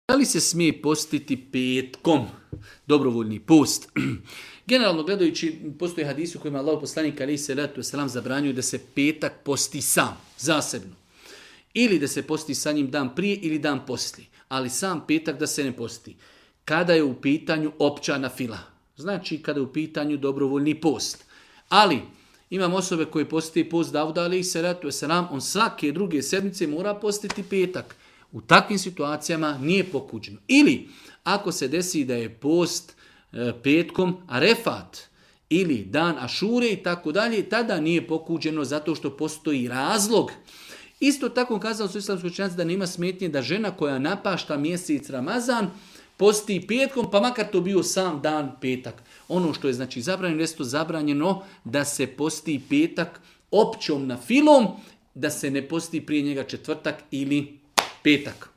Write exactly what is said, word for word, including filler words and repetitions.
Da li se smije postiti petkom? Dobrovoljni post. Generalno gledajući, postoje hadisi u kojima Allah poslanik alejhi selatu vesselam zabranjuje da se petak posti sam, zasebno. Ili da se posti sa njim dan prije ili dan poslije. Ali sam petak da se ne posti. Kada je u pitanju opća nafila. Znači kada je u pitanju dobrovoljni post. Ali imam osobe koje posti post Davuda alejhi selatu vesselam, on svake druge sedmice mora postiti petak. U takvim situacijama nije pokuđeno. Ili ako se desi da je post e, petkom arefat ili dan ašure i tako dalje, tada nije pokuđeno zato što postoji razlog. Isto tako kazali su islamski učenjaci da nema smetnje da žena koja napašta mjesec Ramazan posti petkom, pa makar to bio sam dan petak. Ono što je znači zabranjeno, jest to zabranjeno da se posti petak općom nafilom, da se ne posti prije njega četvrtak ili petak.